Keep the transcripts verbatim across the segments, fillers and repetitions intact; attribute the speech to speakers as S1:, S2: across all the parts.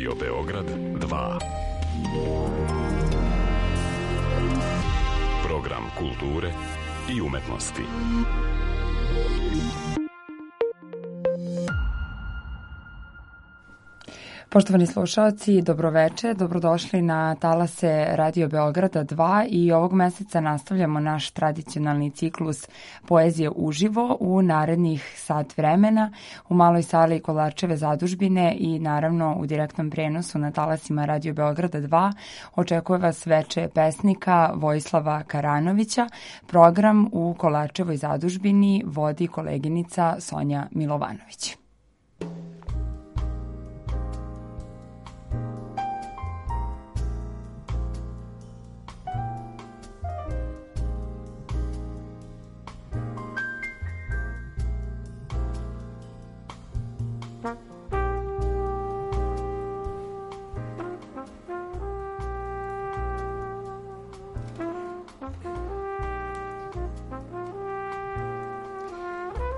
S1: Radio Beograd dva. Program kulture i umetnosti.
S2: Poštovani slušaoci, dobroveče, dobrodošli na talase Radio Beograda dva i ovog meseca nastavljamo naš tradicionalni ciklus Poezije uživo u narednih sat vremena u maloj sali Kolarčeve zadužbine i naravno u direktnom prenosu na talasima Radio Beograda dva očekuje vas veče pesnika Vojislava Karanovića. Program u Kolarčevoj zadužbini vodi koleginica Sonja Milovanović.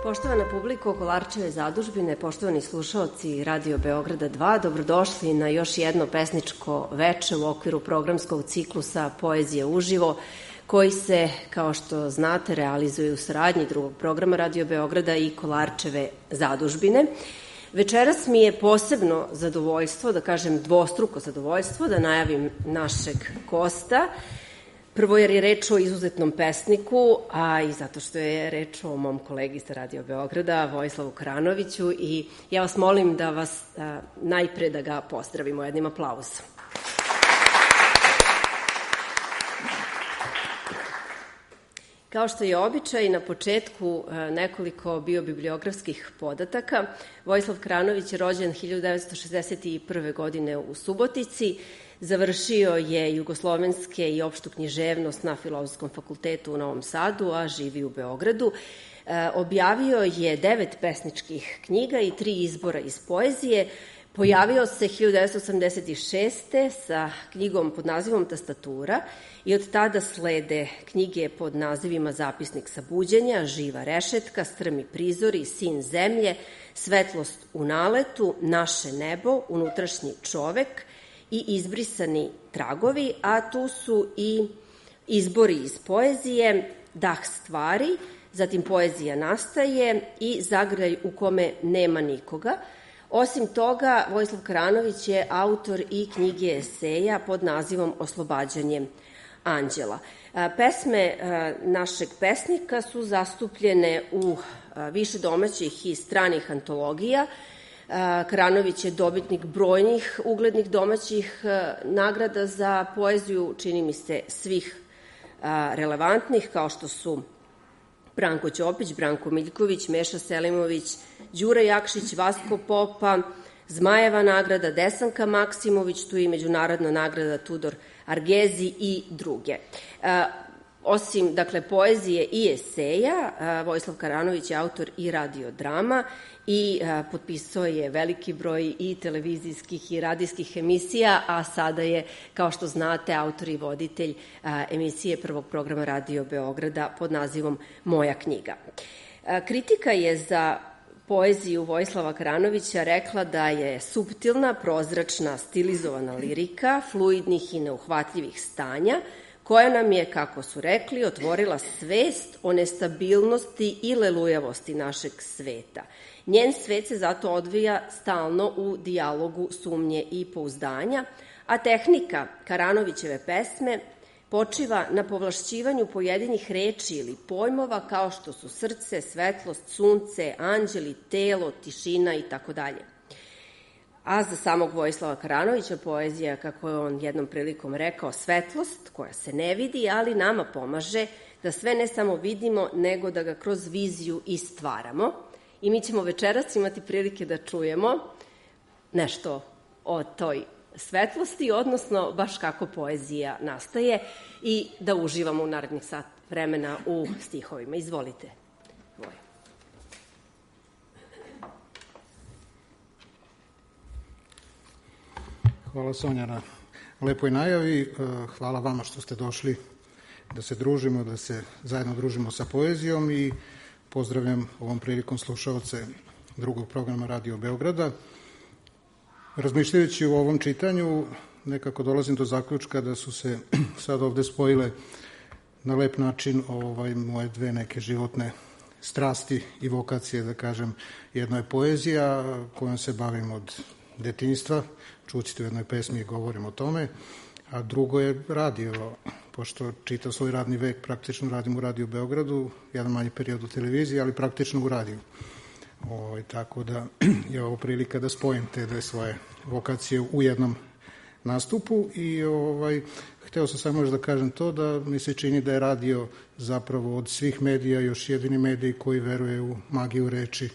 S3: Poštovana publiko Kolarčeve zadužbine, poštovani slušaoci Radio Beograda dva, dobrodošli na još jedno pesničko veče u okviru programskog ciklusa Poezije uživo, koji se, kao što znate, realizuje u saradnji drugog programa Radio Beograda i Kolarčeve zadužbine. Večeras mi je posebno zadovoljstvo, da kažem dvostruko zadovoljstvo, da najavim našeg gosta. Prvo jer je reč o izuzetnom pesniku, a i zato što je reč o mom kolegi sa Radio Beograda, Vojislavu Karanoviću, i ja vas molim da vas a, najpre da ga pozdravimo jednim aplauzom. Kao što je običaj, na početku nekoliko biobibliografskih podataka. Vojislav Karanović je rođen hiljadu devetsto šezdeset prve. godine u Subotici. Završio je jugoslovenske i opštu književnost na Filozofskom fakultetu u Novom Sadu, a živi u Beogradu. E, objavio je devet pesničkih knjiga i tri izbora iz poezije. Pojavio se hiljadu devetsto osamdeset šeste. sa knjigom pod nazivom Tastatura i od tada slede knjige pod nazivima Zapisnik sa buđenja, Živa rešetka, Strmi prizori, Sin zemlje, Svetlost u naletu, Naše nebo, Unutrašnji čovek i Izbrisani tragovi, a tu su i izbori iz poezije, Dah stvari, zatim Poezija nastaje i Zagrljaj u kome nema nikoga. Osim toga, Vojislav Karanović je autor i knjige eseja pod nazivom Oslobađanje anđela. Pesme našeg pesnika su zastupljene u više domaćih i stranih antologija. Karanović je dobitnik brojnih uglednih domaćih nagrada za poeziju, čini mi se svih relevantnih, kao što su Branko Ćopić, Branko Miljković, Meša Selimović, Đura Jakšić, Vasko Popa, Zmajeva nagrada, Desanka Maksimović, tu i međunarodna nagrada Tudor Argezi i druge. Osim, dakle, poezije i eseja, Vojislav Karanović je autor i radiodrama i potpisao je veliki broj i televizijskih i radijskih emisija, a sada je, kao što znate, autor i voditelj emisije prvog programa Radio Beograda pod nazivom Moja knjiga. Kritika je za poeziju Vojislava Karanovića rekla da je suptilna, prozračna, stilizovana lirika, fluidnih i neuhvatljivih stanja, koja nam je, kako su rekli, otvorila svest o nestabilnosti i lelujavosti našeg sveta. Njen svet se zato odvija stalno u dijalogu sumnje i pouzdanja, a tehnika Karanovićeve pesme počiva na povlašćivanju pojedinih reči ili pojmova kao što su srce, svetlost, sunce, anđeli, telo, tišina i tako dalje. A za samog Vojislava Karanovića poezija, kako je on jednom prilikom rekao, svetlost koja se ne vidi, ali nama pomaže da sve ne samo vidimo, nego da ga kroz viziju i stvaramo. I mi ćemo večeras imati prilike da čujemo nešto o toj svetlosti, odnosno baš kako poezija nastaje i da uživamo u narednih sat vremena u stihovima. Izvolite, Voja.
S4: Hvala, Sonja, na lepoj najavi. Hvala vama što ste došli da se družimo, da se zajedno družimo sa poezijom i pozdravljam ovom prilikom slušaoce drugog programa Radio Beograda. Razmišljajući u ovom čitanju, nekako dolazim do zaključka da su se sad ovde spojile na lep način ovaj, moje dve neke životne strasti i vokacije, da kažem. Jedno je poezija kojom se bavim od detinjstva, čućete u jednoj pesmi i govorim o tome, a drugo je radio, pošto čitav svoj radni vek praktično radim u Radio Beogradu, jedan manji period u televiziji, ali praktično u radiju. Ovaj, tako da je ovo prilika da spojim te dve svoje vokacije u jednom nastupu i ovaj, hteo sam samo još da kažem to da mi se čini da je radio zapravo od svih medija još jedini medij koji veruje u magiju reči.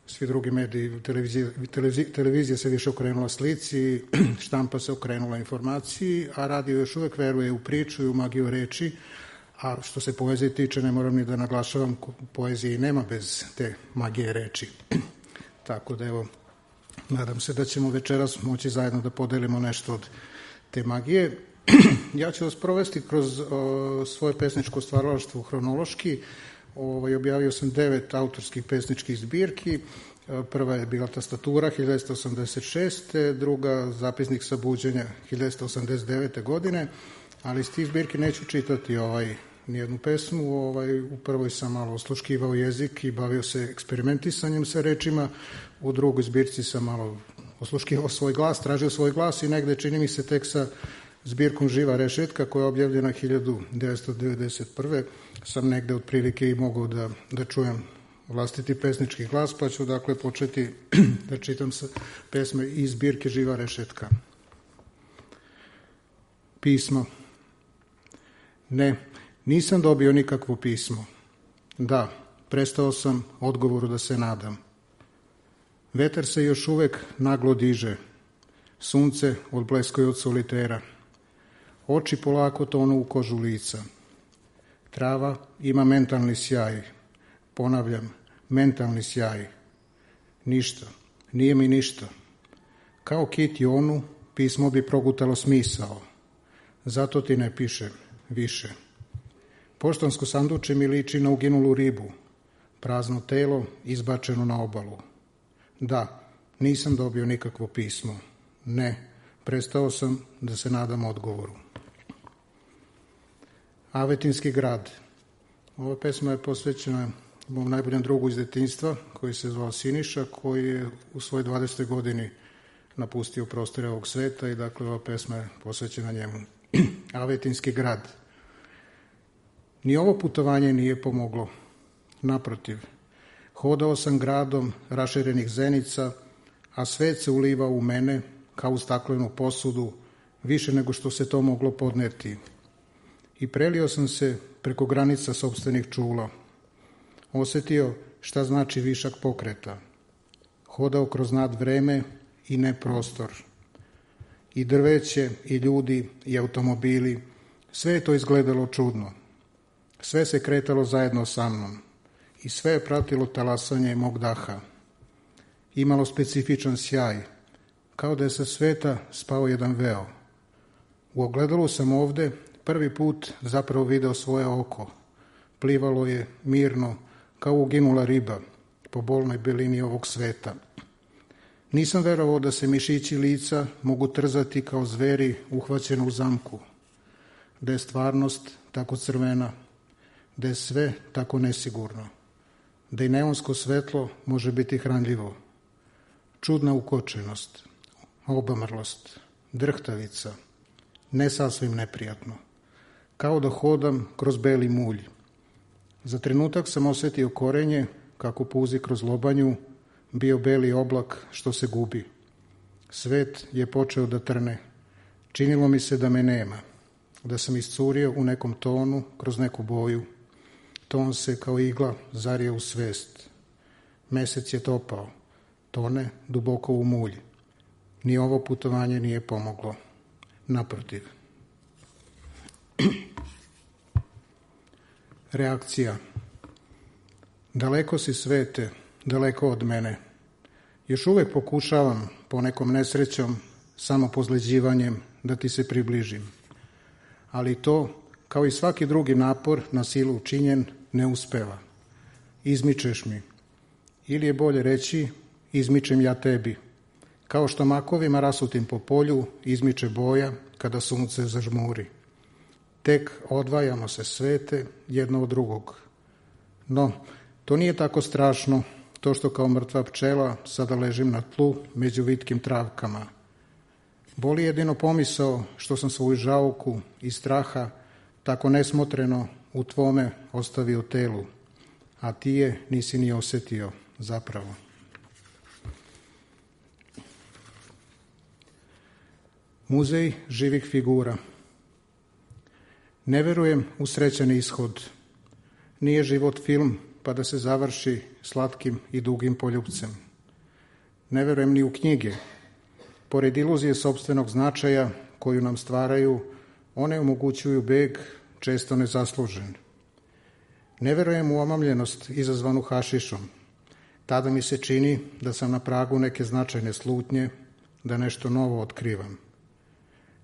S4: Svi drugi mediji, televizija, televizija, televizija se više okrenula slici, štampa se okrenula informaciji, a radio još uvek veruje u priču i u magiju reči, a što se poezije tiče, ne moram ni da naglašavam, poezije nema bez te magije reči. Tako da evo, nadam se da ćemo večeras moći zajedno da podelimo nešto od te magije. Ja ću vas provesti kroz o, svoje pesničko stvaralaštvo hronološki. Ovaj, objavio sam devet autorskih pesničkih zbirki. Prva je bila Tastatura hiljadu devetsto osamdeset šeste. Druga Zapisnik sa buđenja hiljadu devetsto osamdeset devete. godine. Ali iz tih zbirki neću čitati ovaj, nijednu pesmu. Ovaj, u prvoj sam malo osluškivao jezik i bavio se eksperimentisanjem sa rečima. U drugoj zbirci sam malo osluškivao svoj glas, tražio svoj glas i negde čini mi se tek sa zbirkom Živa rešetka koja je objavljena hiljadu devetsto devedeset prve. sam negde otprilike i mogao da, da čujem vlastiti pesnički glas, pa ću dakle početi da čitam sa pesme iz zbirke Živa rešetka. Pismo. Ne, nisam dobio nikakvo pismo. Da, prestao sam odgovoru da se nadam. Vetar se još uvek naglo diže. Sunce odbleskuje od solitera. Oči polako tonu u kožu lica. Trava ima mentalni sjaj. Ponavljam, mentalni sjaj. Ništa, nije mi ništa. Kao kit Jonu, pismo bi progutalo smisao. Zato ti ne pišem više. Poštansko sanduče mi liči na uginulu ribu. Prazno telo izbačeno na obalu. Da, nisam dobio nikakvo pismo. Ne, prestao sam da se nadam odgovoru. Avetinski grad. Ova pesma je posvećena mom najboljem drugu iz detinjstva, koji se zvao Siniša, koji je u svojoj dvadesetoj godini napustio prostore ovog sveta i dakle ova pesma je posvećena njemu. Avetinski grad. Ni ovo putovanje nije pomoglo. Naprotiv, hodao sam gradom raširenih zenica, a svet se ulivao u mene kao u staklenu posudu, više nego što se to moglo podneti. I prelio sam se preko granica sopstvenih čula. Osetio šta znači višak pokreta. Hodao kroz nad vreme i ne prostor. I drveće, i ljudi, i automobili, sve je to izgledalo čudno. Sve se kretalo zajedno sa mnom i sve je pratilo talasanje mog daha. Imalo specifičan sjaj, kao da je sa sveta spao jedan veo. U ogledalu sam ovde prvi put zapravo video svoje oko. Plivalo je mirno, kao uginula riba, po bolnoj belini ovog sveta. Nisam verovao da se mišići lica mogu trzati kao zveri uhvaćeni u zamku, da je stvarnost tako crvena, da je sve tako nesigurno, da i neonsko svetlo može biti hranljivo. Čudna ukočenost, obamrlost, drhtavica, ne sasvim neprijatno, kao da hodam kroz beli mulj. Za trenutak sam osetio korenje, kako puzi kroz lobanju, bio beli oblak što se gubi. Svet je počeo da trne. Činilo mi se da me nema, da sam iscurio u nekom tonu kroz neku boju. Ton se kao igla zario u svest. Mesec je topao, tone duboko u mulj. Ni ovo putovanje nije pomoglo. Naprotiv. Reakcija. Daleko si svete, daleko od mene. Još uvek pokušavam, ponekom nesrećom, samo pozleđivanjem, da ti se približim. Ali to, kao i svaki drugi napor na silu učinjen, ne uspeva. Izmičeš mi. Ili je bolje reći, izmičem ja tebi. kao što makovima rasutim po polju izmiče boja kada sunce zažmuri. Tek odvajamo se svete jedno od drugog. No, to nije tako strašno, to što kao mrtva pčela sada ležim na tlu među vitkim travkama. Boli jedino pomisao što sam svoju žauku i straha tako nesmotreno u tvome ostavio telu, a ti je nisi ni osetio zapravo. Muzej živih figura. Ne verujem u srećan ishod. Nije život film pa da se završi slatkim i dugim poljupcem. Ne verujem ni u knjige. Pored iluzije sopstvenog značaja koju nam stvaraju, one omogućuju beg, često nezaslužen. Ne verujem u omamljenost izazvanu hašišom. Tada mi se čini da sam na pragu neke značajne slutnje, da nešto novo otkrivam.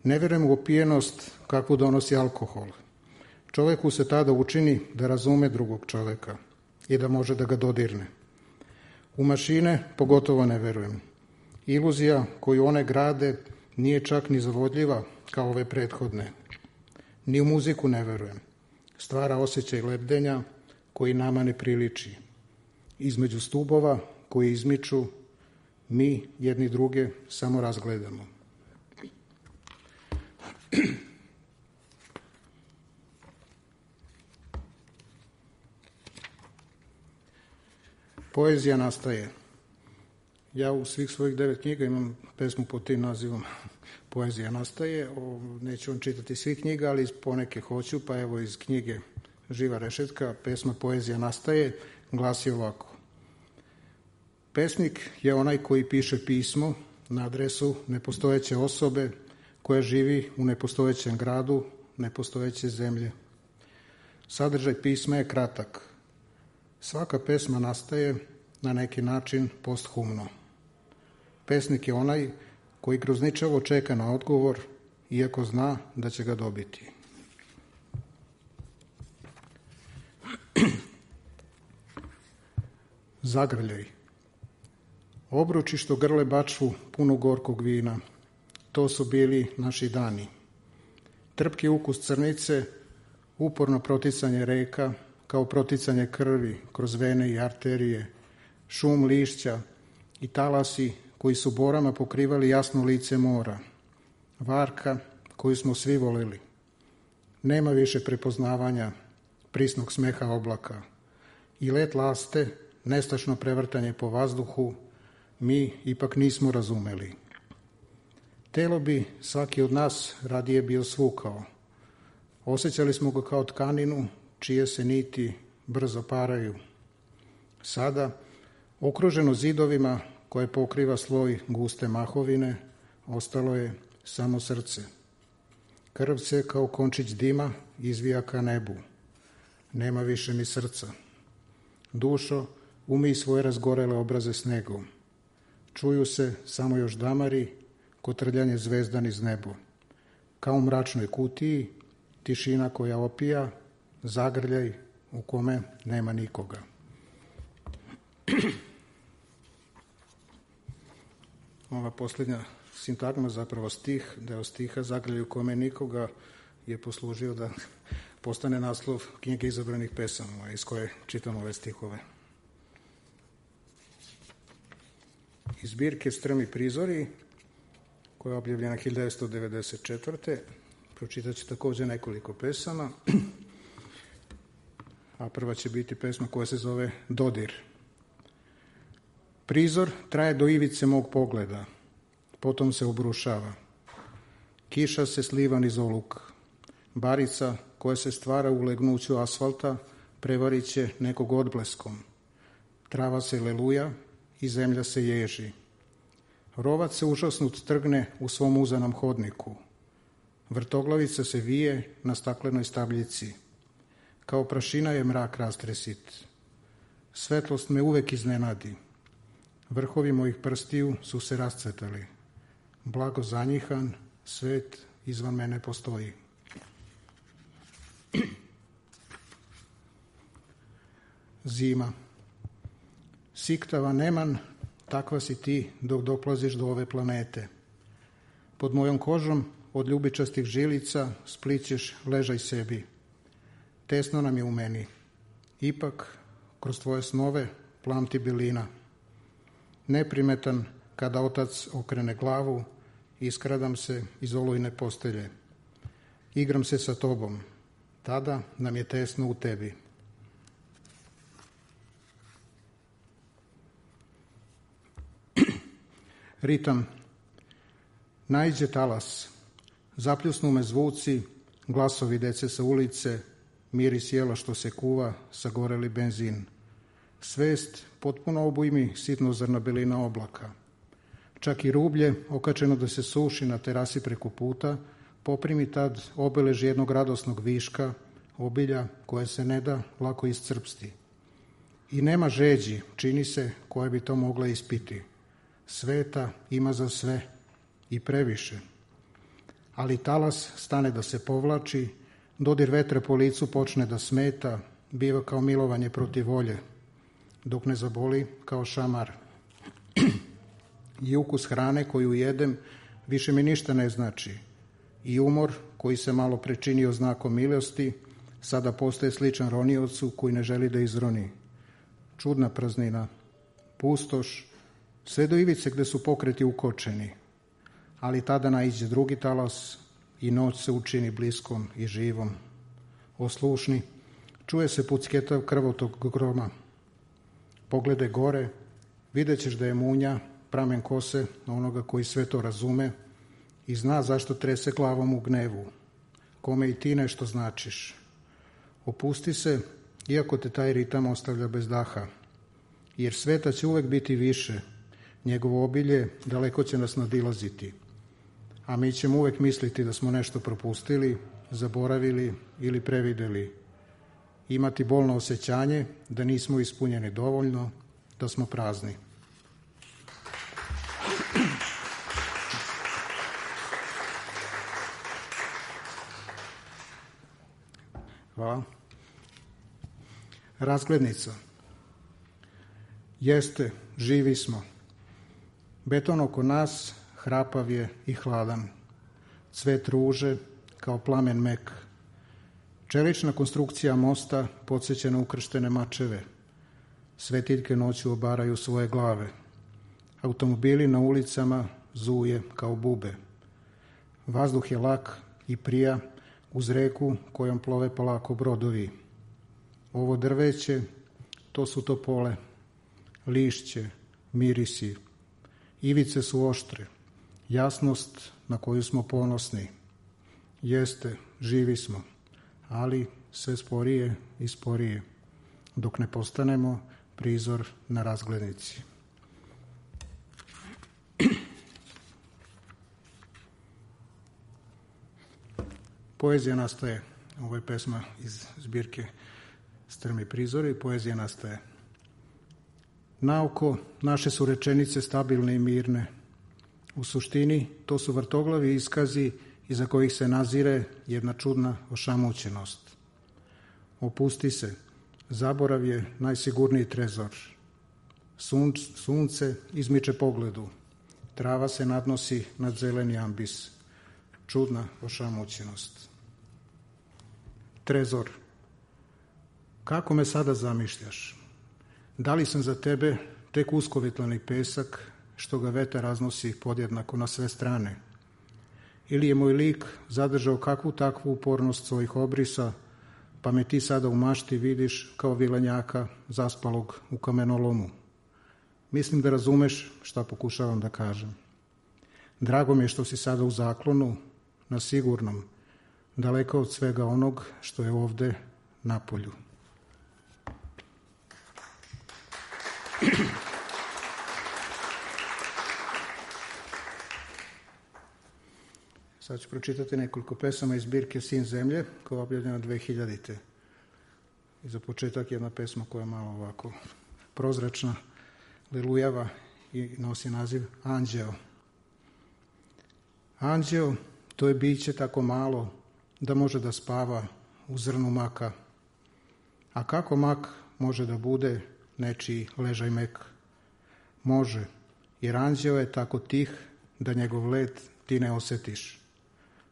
S4: Ne verujem u opijenost kakvu donosi alkohol. Čoveku se tada učini da razume drugog čoveka i da može da ga dodirne. U mašine pogotovo ne verujem. Iluzija koju one grade nije čak ni zavodljiva kao ove prethodne. Ni u muziku ne verujem. Stvara osjećaj lebdenja koji nama ne priliči. Između stubova koji izmiču, mi jedni druge samo razgledamo. Poezija nastaje. Ja u svih svojih devet knjiga imam pesmu pod tim nazivom Poezija nastaje. O, neću vam čitati svih knjiga, ali poneke hoću, pa evo iz knjige Živa rešetka, pesma Poezija nastaje, glasi ovako. Pesnik je onaj koji piše pismo na adresu nepostojeće osobe koja živi u nepostojećem gradu, nepostojeće zemlje. Sadržaj pisma je kratak. Svaka pesma nastaje na neki način posthumno. Pesnik je onaj koji grozničavo čeka na odgovor, iako zna da će ga dobiti. Zagrljaj. Obruči što grle bačvu punu gorkog vina. To su bili naši dani. Trpki ukus crnice, uporno proticanje reka, kao proticanje krvi kroz vene i arterije, šum lišća i talasi koji su borama pokrivali jasno lice mora, varka koju smo svi voleli. Nema više prepoznavanja prisnog smeha oblaka i let laste, nestašno prevrtanje po vazduhu, mi ipak nismo razumeli. Telo bi svaki od nas radije bio svukao. Osjećali smo ga kao tkaninu čije se niti brzo paraju. Sada, okruženo zidovima koje pokriva sloj guste mahovine, ostalo je samo srce. Krv se kao končić dima izvija ka nebu. Nema više ni srca. Dušo, umij svoje razgorele obraze snegom. Čuju se samo još damari, kotrljanje zvezda niz nebo. Kao u mračnoj kutiji, tišina koja opija, zagrljaj u kome nema nikoga. Ova posljednja sintagma, zapravo stih, deo stiha Zagrljaj u kome nikoga, je poslužio da postane naslov knjige izabranih pesama iz koje čitam ove stihove. Iz zbirke Strmi prizori, koja je objavljena hiljadu devetsto devedeset četvrte. Pročitat ću također nekoliko pesama, a prva će biti pesma koja se zove Dodir. Prizor traje do ivice mog pogleda, potom se obrušava. Kiša se sliva niz oluk. Barica koja se stvara u legnuću asfalta prevarit će nekog odbleskom. Trava se leluja i zemlja se ježi. Rovac se užasnut trgne u svom uzanom hodniku. Vrtoglavica se vije na staklenoj stabljici. Kao prašina je mrak rastresit. Svetlost me uvek iznenadi. Vrhovi mojih prstiju su se rascvetali. Blago zanjihan, svet izvan mene postoji. Zima. Siktava neman takva si ti dok doplaziš do ove planete. Pod mojom kožom od ljubičastih žilica splićeš ležaj sebi. Tesno nam je u meni. Ipak, kroz tvoje snove plamti bilina. Neprimetan kada otac okrene glavu, iskradam se iz olujne postelje. Igram se sa tobom. Tada nam je tesno u tebi. Ritam. Naiđe talas. Zapljusnu me zvuci, glasovi dece sa ulice, miris jela što se kuva, sagoreli benzin. Svest potpuno obujmi sitno zrna belina oblaka. Čak i rublje, okačeno da se suši na terasi preko puta, poprimi tad obelež jednog radosnog viška, obilja koje se ne da lako iscrpsti. I nema žeđi, čini se, koja bi to mogla ispiti. Sveta ima za sve i previše. Ali talas stane da se povlači, dodir vetra po licu počne da smeta, biva kao milovanje protiv volje, dok ne zaboli kao šamar. I ukus hrane koju jedem više mi ništa ne znači. I umor koji se malo prečinio znakom milosti, sada postaje sličan roniocu koji ne želi da izroni. Čudna praznina, pustoš, sve do ivice gde su pokreti ukočeni. Ali tada naiđe drugi talas i noć se učini bliskom i živom. Oslušni, čuje se pucketav krvotog groma. Pogledaj gore, vidjet ćeš da je munja, pramen kose onoga koji sve to razume i zna zašto trese glavom u gnevu, kome i ti nešto značiš. Opusti se, iako te taj ritam ostavlja bez daha, jer sveta će uvek biti više, njegovo obilje daleko će nas nadilaziti, a mi ćemo uvek misliti da smo nešto propustili, zaboravili ili prevideli, imati bolno osjećanje da nismo ispunjeni dovoljno, da smo prazni. Hvala. Razglednica. Jeste, živi smo. Beton oko nas hrapav je i hladan. Cvet ruže kao plamen mek. Čelična konstrukcija mosta podsjeća na ukrštene mačeve. Svetiljke noću obaraju svoje glave. Automobili na ulicama zuje kao bube. Vazduh je lak i prija uz reku kojom plove polako brodovi. Ovo drveće, to su topole, lišće, mirisi. Ivice su oštre, jasnost na koju smo ponosni. Jeste, živi smo, ali sve sporije i sporije, dok ne postanemo prizor na razglednici. Poezija nastaje, ovo je pesma iz zbirke Strmi prizori, poezija nastaje. Naoko naše su rečenice stabilne i mirne. U suštini to su vrtoglavi iskazi iza kojih se nazire jedna čudna ošamućenost. Opusti se, zaborav je najsigurniji trezor. Sunč, sunce izmiče pogledu, trava se nadnosi nad zeleni ambis. Čudna ošamućenost. Trezor. Kako me sada zamišljaš? Da li sam za tebe tek uskovitlani pesak što ga vetar raznosi podjednako na sve strane? Ili je moj lik zadržao kakvu takvu upornost svojih obrisa, pa me ti sada u mašti vidiš kao vilenjaka zaspalog u kamenolomu? Mislim da razumeš šta pokušavam da kažem. Drago mi je što si sada u zaklonu, na sigurnom, daleko od svega onog što je ovde napolju. Sad ću pročitati nekoliko pesama iz zbirke Sin zemlje, koja je objavljena dve hiljadite. I za početak jedna pesma koja je malo ovako prozračna, lilujava i nosi naziv Anđeo. Anđeo, to je biće tako malo da može da spava u zrnu maka. A kako mak može da bude nečiji ležaj mek? Može, jer anđeo je tako tih da njegov let ti ne osetiš.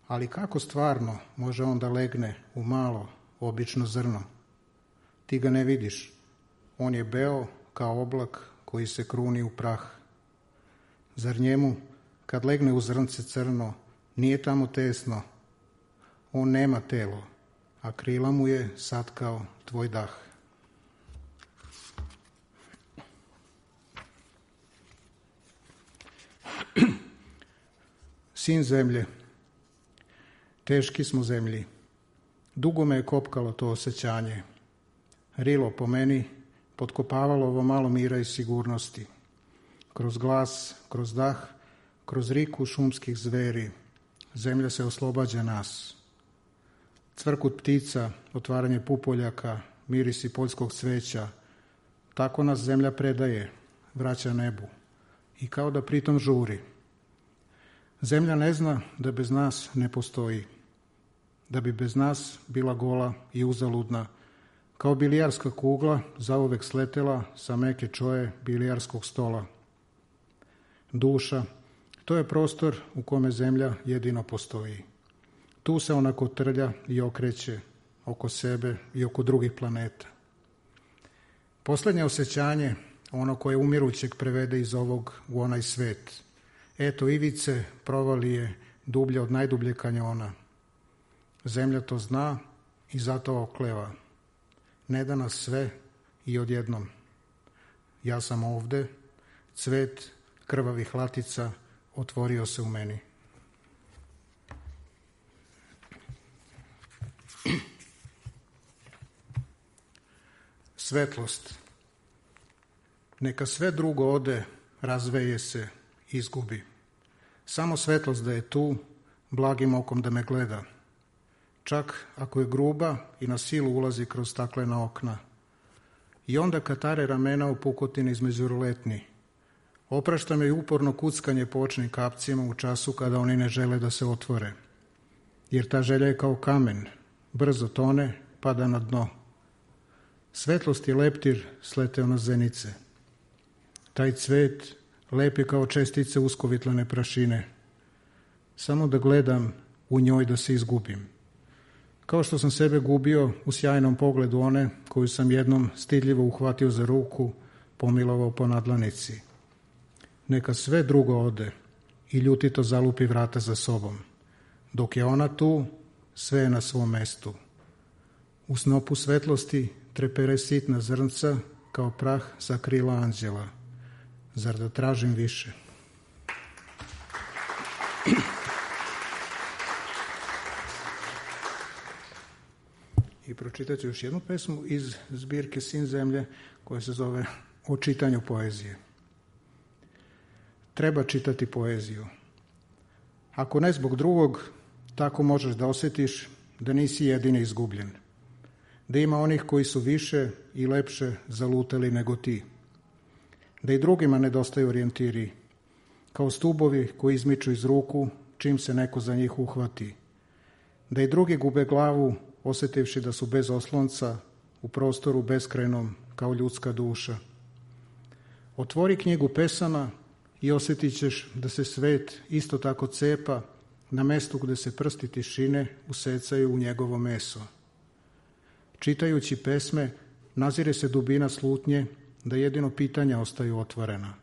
S4: Ali kako stvarno može on da legne u malo, obično zrno? Ti ga ne vidiš. On je beo kao oblak koji se kruni u prah. Zar njemu, kad legne u zrnce crno, nije tamo tesno? On nema telo, a krila mu je satkao tvoj dah. Sin zemlje, teški smo zemlji, dugo me je kopkalo to osjećanje. Rilo po meni potkopavalo ovo malo mira i sigurnosti. Kroz glas, kroz dah, kroz riku šumskih zveri, zemlja se oslobađa nas. Cvrkut ptica, otvaranje pupoljaka, mirisi poljskog cveća, tako nas zemlja predaje, vraća nebu i kao da pritom žuri. Zemlja ne zna da bez nas ne postoji, da bi bez nas bila gola i uzaludna, kao bilijarska kugla zauvek sletela sa meke čoje bilijarskog stola. Duša, to je prostor u kome zemlja jedino postoji. Tu se ona kotrlja i okreće oko sebe i oko drugih planeta. Poslednje osjećanje, ono koje umirućeg prevede iz ovog u onaj svet. Eto ivice provalije dublje od najdublje kanjona. Zemlja to zna i zato okleva. Ne da nas sve i odjednom. Ja sam ovde, cvet krvavih latica otvorio se u meni. Svetlost. Neka sve drugo ode, razveje se, izgubi. Samo svetlost da je tu, blagim okom da me gleda. Čak ako je gruba i na silu ulazi kroz staklena okna. I onda katare ramena u pukotini između ruletni. Oprašta me i uporno kuckanje po očnim kapcima u času kada oni ne žele da se otvore. Jer ta želja je kao kamen, brzo tone, pada na dno. Svetlost je leptir sleteo na zenice. Taj cvet lep je kao čestice uskovitlane prašine. Samo da gledam u njoj da se izgubim. Kao što sam sebe gubio u sjajnom pogledu one koju sam jednom stidljivo uhvatio za ruku, pomilovao po nadlanici. Neka sve drugo ode i ljutito zalupi vrata za sobom. Dok je ona tu, sve je na svom mestu. U snopu svetlosti trepere sitna zrnca kao prah sa krila anđela. Zar da tražim više? I pročitat ću još jednu pesmu iz zbirke Sin zemlje koja se zove O čitanju poezije. Treba čitati poeziju. Ako ne zbog drugog, tako možeš da osjetiš da nisi jedini izgubljen. Da ima onih koji su više i lepše zalutali nego ti. Da i drugima nedostaju orijentiri, kao stubovi koji izmiču iz ruku čim se neko za njih uhvati. Da i drugi gube glavu, osjetivši da su bez oslonca, u prostoru beskrajnom kao ljudska duša. Otvori knjigu pesama i osjetit ćeš da se svet isto tako cepa na mestu gde se prsti tišine usecaju u njegovo meso. Čitajući pesme, nazire se dubina slutnje da jedino pitanja ostaju otvorena,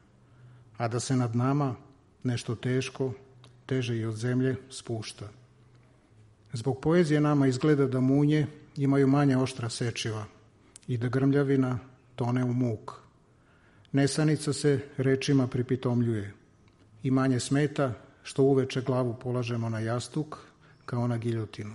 S4: a da se nad nama nešto teško, teže i od zemlje, spušta. Zbog poezije nama izgleda da munje imaju manje oštra sečiva i da grmljavina tone u muk. Nesanica se rečima pripitomljuje i manje smeta što uveče glavu polažemo na jastuk kao na giljotinu.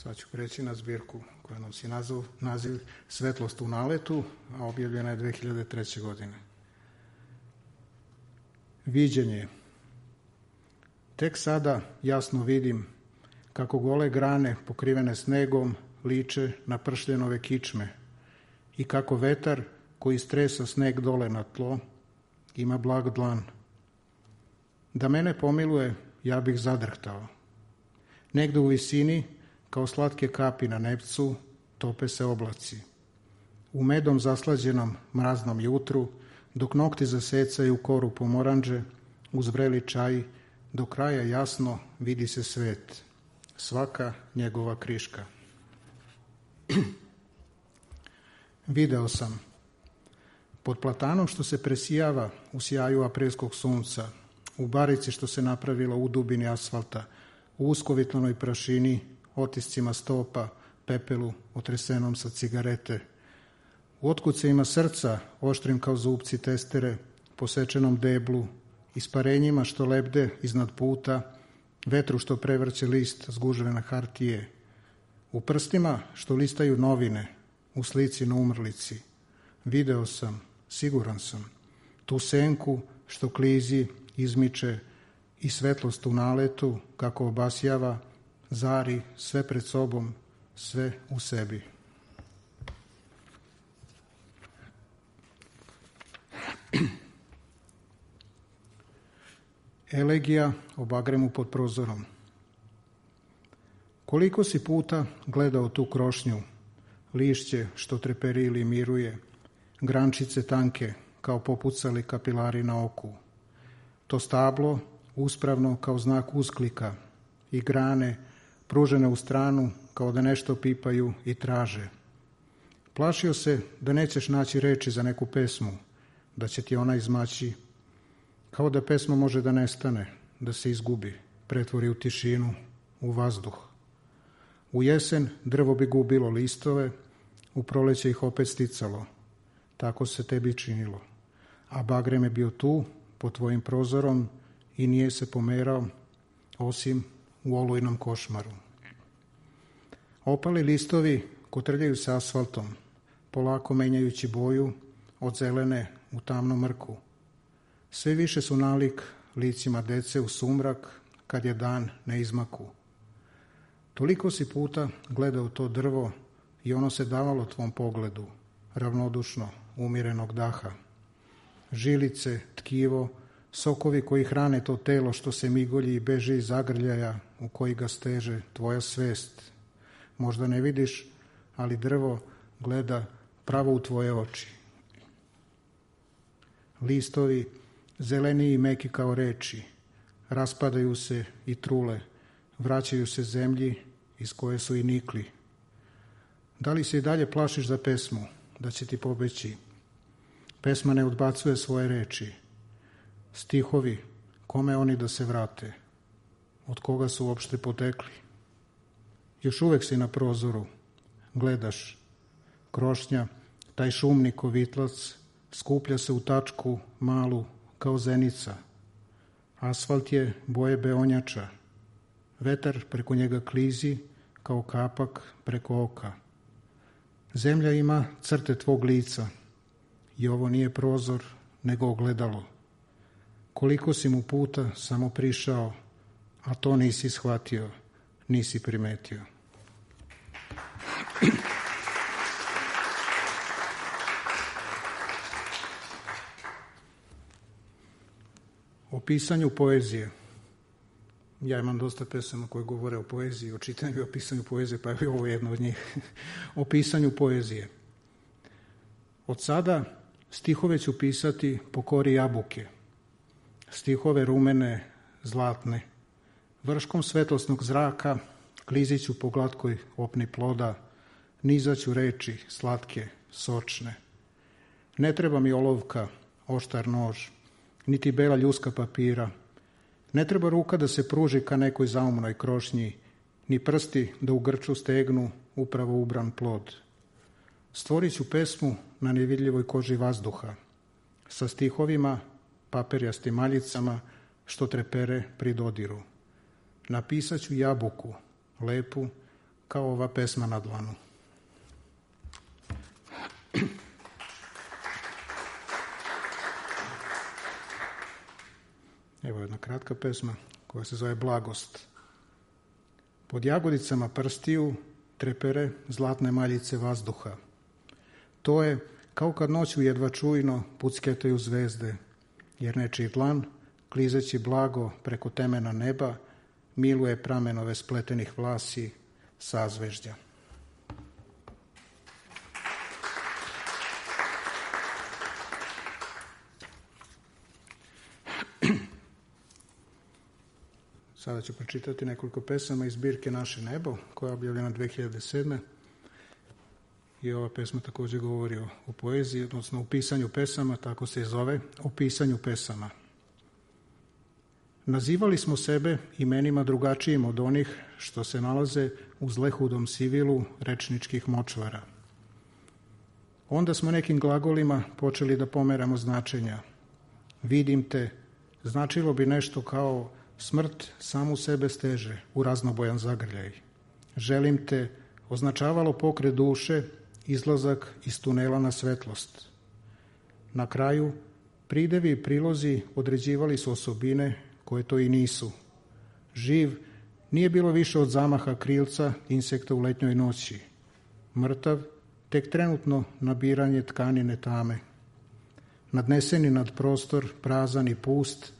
S4: Sad ću preći na zbirku koja nosi naziv, naziv Svetlost u naletu, a objavljena je dve hiljade treće. godine. Viđenje. Tek sada jasno vidim kako gole grane pokrivene snegom liče na pršljenove kičme i kako vetar koji stresa sneg dole na tlo ima blag dlan. Da mene pomiluje, ja bih zadrhtao. Negde u visini Kao slatke kapi na nebcu tope se oblaci. U medom zaslađenom mraznom jutru, dok nokti zasecaju koru pomoranđe, uz vreli čaj, do kraja jasno vidi se svet, svaka njegova kriška. Video sam, pod platanom što se presijava u sjaju aprilskog sunca, u barici što se napravila u dubini asfalta, u uskovitlanoj prašini, otiscima stopa, pepelu otresenom sa cigarete, u otkucajima srca, oštrim kao zupci testere, posečenom deblu, isparenjima što lebde iznad puta, vetru što prevrće list zgužvene hartije, u prstima što listaju novine, u slici na umrlici. Video sam, siguran sam, tu senku što klizi, izmiče i svetlost u naletu, kako obasjava, zari sve pred sobom, sve u sebi. Elegija o bagremu pod prozorom. Koliko si puta gledao tu krošnju, lišće što treperi ili miruje, grančice tanke kao popucali kapilari na oku, to stablo uspravno kao znak usklika i grane pružene u stranu kao da nešto pipaju i traže. Plašio se da nećeš naći reči za neku pesmu, da će ti ona izmaći, kao da pesma može da nestane, da se izgubi, pretvori u tišinu, u vazduh. U jesen drvo bi gubilo listove, u proleće ih opet sticalo. Tako se tebi činilo. A bagrem je bio tu, pod tvojim prozorom, i nije se pomerao, osim u olujnom košmaru. Opali listovi kotrljaju se asfaltom, polako menjajući boju od zelene u tamnu mrku. Sve više su nalik licima dece u sumrak kad je dan na izmaku. Toliko si puta gledao to drvo i ono se davalo tvom pogledu, ravnodušno, umirenog daha. Žilice, tkivo, sokovi koji hrane to telo što se migolji i beži iz zagrljaja u koji ga steže tvoja svest. Možda ne vidiš, ali drvo gleda pravo u tvoje oči. Listovi, zeleni i meki kao reči, raspadaju se i trule, vraćaju se zemlji iz koje su i nikli. Da li se i dalje plašiš za pesmu, da će ti pobeći? Pesma ne odbacuje svoje reči. Stihovi, kome oni da se vrate? Od koga su uopšte potekli? Još uvek si na prozoru, gledaš. Krošnja, taj šumni kovitlac, skuplja se u tačku malu kao zenica. Asfalt je boje beonjača. Vetar preko njega klizi kao kapak preko oka. Zemlja ima crte tvog lica i ovo nije prozor, nego ogledalo. Koliko si mu puta samo prišao, a to nisi shvatio, nisi primetio. O pisanju poezije. Ja imam dosta pesama koje govore o poeziji, o čitanju i o pisanju poezije, pa je ovo jedno od njih. O pisanju poezije. Od sada stihove ću pisati po kori jabuke. Stihove rumene, zlatne. Vrškom svetlosnog zraka klizit ću po glatkoj opni ploda, nizaću reči slatke, sočne. Ne treba mi olovka, oštar nož, niti bela ljuska papira. Ne treba ruka da se pruži ka nekoj zaumnoj krošnji, ni prsti da u grču stegnu upravo ubran plod. Stvorit ću pesmu na nevidljivoj koži vazduha, sa stihovima, paperjastim maljicama, što trepere pri dodiru. Napisat ću jabuku, lepu, kao ova pesma na dlanu. Evo jedna kratka pesma koja se zove Blagost. Pod jagodicama prstiju trepere zlatne maljice vazduha. To je kao kad noću jedva čujno pucketaju zvezde, jer nečiji dlan, klizeći blago preko temena neba, miluje pramenove spletenih vlasi, sazvežđa. Sada ću pročitati nekoliko pesama iz zbirke Naše nebo, koja je objavljena dve hiljade sedme. I ova pesma također govori o, o poeziji, odnosno o pisanju pesama, tako se i zove, o pisanju pesama. Nazivali smo sebe imenima drugačijim od onih što se nalaze u zlehudom sivilu rečničkih močvara. Onda smo nekim glagolima počeli da pomeramo značenja. Vidim te, značilo bi nešto kao smrt samu sebe steže u raznobojan zagrljaj. Želim te označavalo pokret duše, izlazak iz tunela na svetlost. Na kraju, pridevi i prilozi određivali su osobine koje to i nisu. Živ nije bilo više od zamaha krilca insekta u letnjoj noći. Mrtav, tek trenutno nabiranje tkanine tame. Nadneseni nad prostor, prazan i pust,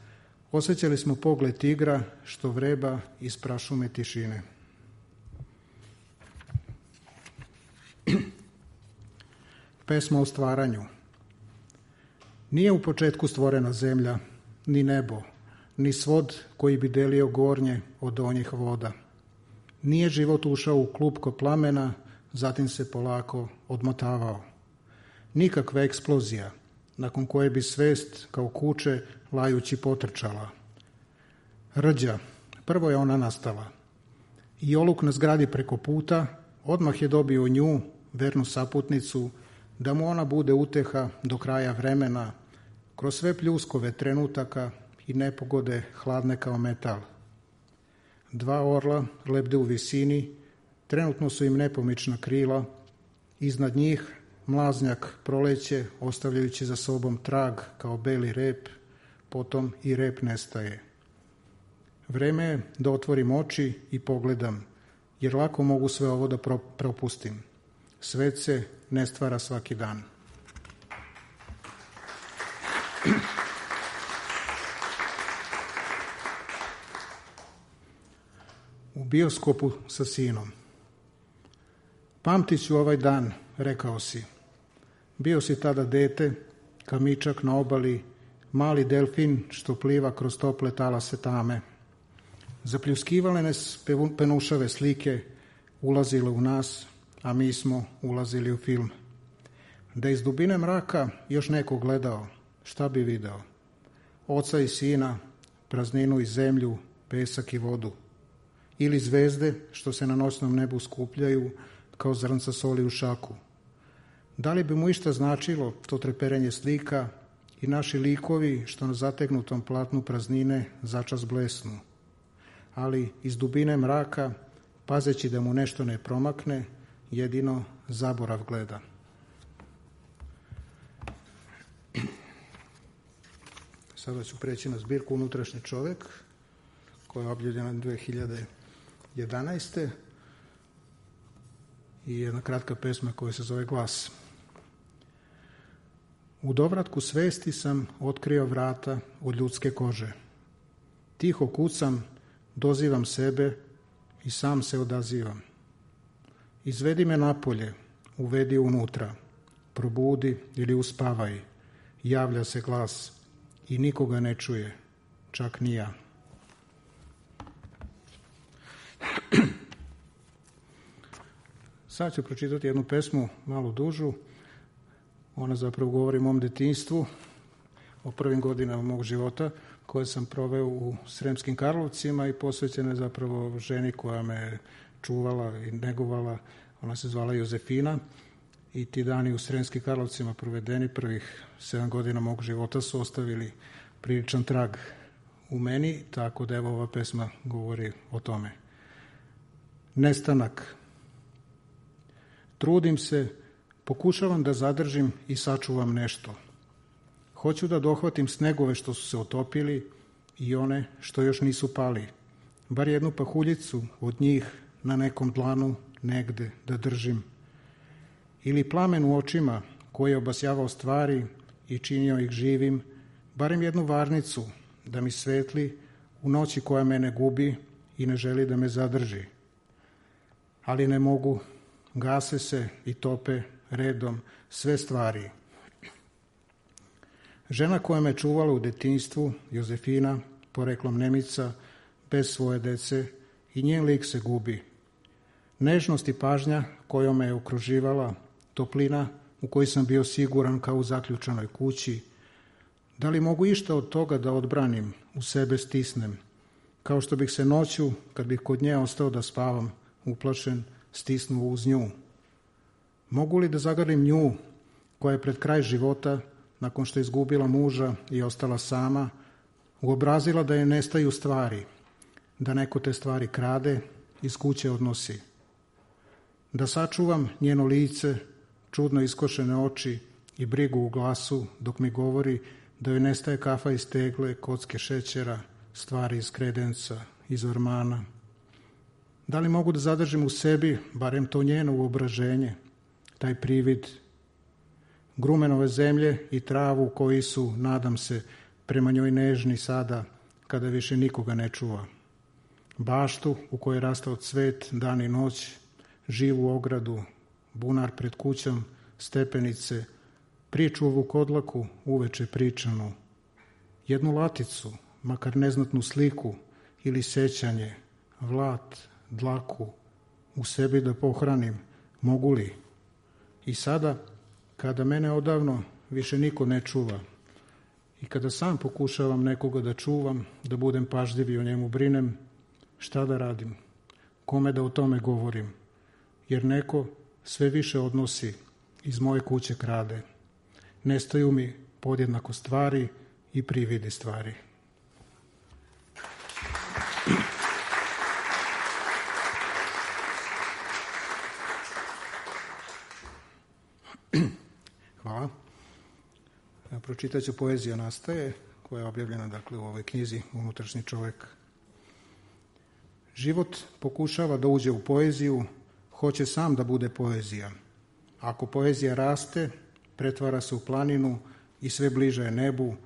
S4: osjećali smo pogled tigra što vreba iz prašume tišine. Pesma o stvaranju. Nije u početku stvorena zemlja, ni nebo, ni svod koji bi delio gornje od donjih voda. Nije život ušao u klupko plamena, zatim se polako odmotavao. Nikakva eksplozija, nakon koje bi svest kao kuće lajući potrčala. Rđa, prvo je ona nastala. I oluk na zgradi preko puta odmah je dobio nju, vernu saputnicu, da mu ona bude uteha do kraja vremena, kroz sve pljuskove trenutaka i nepogode hladne kao metal. Dva orla lebde u visini, trenutno su im nepomična krila, iznad njih mlaznjak proleće ostavljajući za sobom trag kao beli rep, potom i rep nestaje. Vreme je da otvorim oči i pogledam, jer lako mogu sve ovo da propustim. Svet se ne stvara svaki dan. U bioskopu sa sinom. Pamtit ću ovaj dan, rekao si. Bio si tada dete, kamičak na obali, mali delfin što pliva kroz tople talase tame. Zapljuskivale nas penušave slike, ulazile u nas, a mi smo ulazili u film. Da iz dubine mraka još neko gledao, šta bi video? Oca i sina, prazninu i zemlju, pesak i vodu. Ili zvezde što se na noćnom nebu skupljaju kao zrnca soli u šaku. Da li bi mu išta značilo to treperenje slika i naši likovi što na zategnutom platnu praznine začas blesnu? Ali iz dubine mraka, pazeći da mu nešto ne promakne, jedino zaborav gleda. Sada ću preći na zbirku Unutrašnji čovek, koja je objavljena dve hiljade jedanaeste. I jedna kratka pesma koja se zove Glas. U dovratku svesti sam otkrio vrata od ljudske kože. Tiho kucam, dozivam sebe i sam se odazivam. Izvedi me napolje, uvedi unutra, probudi ili uspavaj, javlja se glas i nikoga ne čuje, čak ni ja. Sad ću pročitati jednu pesmu, malo dužu. Ona zapravo govori o mom detinjstvu, o prvim godinama mog života, koje sam proveo u Sremskim Karlovcima i posvećena je zapravo ženi koja me čuvala i negovala. Ona se zvala Jozefina i ti dani u Sremskim Karlovcima provedeni prvih sedam godina mog života su ostavili priličan trag u meni, tako da evo ova pesma govori o tome. Nestanak. Trudim se, pokušavam da zadržim i sačuvam nešto. Hoću da dohvatim snegove što su se otopili i one što još nisu pali. Bar jednu pahuljicu od njih na nekom dlanu negde da držim. Ili plamen u očima koji je obasjavao stvari i činio ih živim, barem jednu varnicu da mi svetli u noći koja mene gubi i ne želi da me zadrži. ali ne mogu, gase se i tope redom sve stvari. Žena koja me čuvala u detinjstvu, Jozefina, poreklom Nemica, bez svoje dece, i njen lik se gubi. Nežnost i pažnja kojom me je okruživala, toplina u kojoj sam bio siguran kao u zaključanoj kući, da li mogu išta od toga da odbranim, u sebe stisnem, kao što bih se noću, kad bih kod nje ostao da spavam, uplašen, stisnuo uz nju. Mogu li da zagrlim nju, koja je pred kraj života, nakon što je izgubila muža i ostala sama, uobrazila da je nestaju stvari, da neko te stvari krade, iz kuće odnosi. Da sačuvam njeno lice, čudno iskošene oči i brigu u glasu, dok mi govori da joj nestaje kafa iz tegle, kocke šećera, stvari iz kredenca, iz ormana. Da li mogu da zadržim u sebi, barem to njeno uobraženje, taj privid grumenove zemlje i travu koji su, nadam se, prema njoj nežni sada, kada više nikoga ne čuva. Baštu u kojoj je rastao cvet, dan i noć, živu ogradu, bunar pred kućom, stepenice, priču o vukodlaku, uveče pričanu, jednu laticu, makar neznatnu sliku ili sećanje, vlat, dlaku, u sebi da pohranim, mogu li? I sada, kada mene odavno više niko ne čuva i kada sam pokušavam nekoga da čuvam, da budem pažljiv i o njemu brinem, šta da radim? Kome da o tome govorim? Jer neko sve više odnosi, iz moje kuće krade. Nestaju mi podjednako stvari i prividi stvari. Hvala. Ja pročitat ću Poezija nastaje, koja je objavljena dakle, u ovoj knjizi Unutrašnji čovek. Život pokušava da uđe u poeziju, hoće sam da bude poezija. Ako poezija raste, pretvara se u planinu i sve bliže je nebu,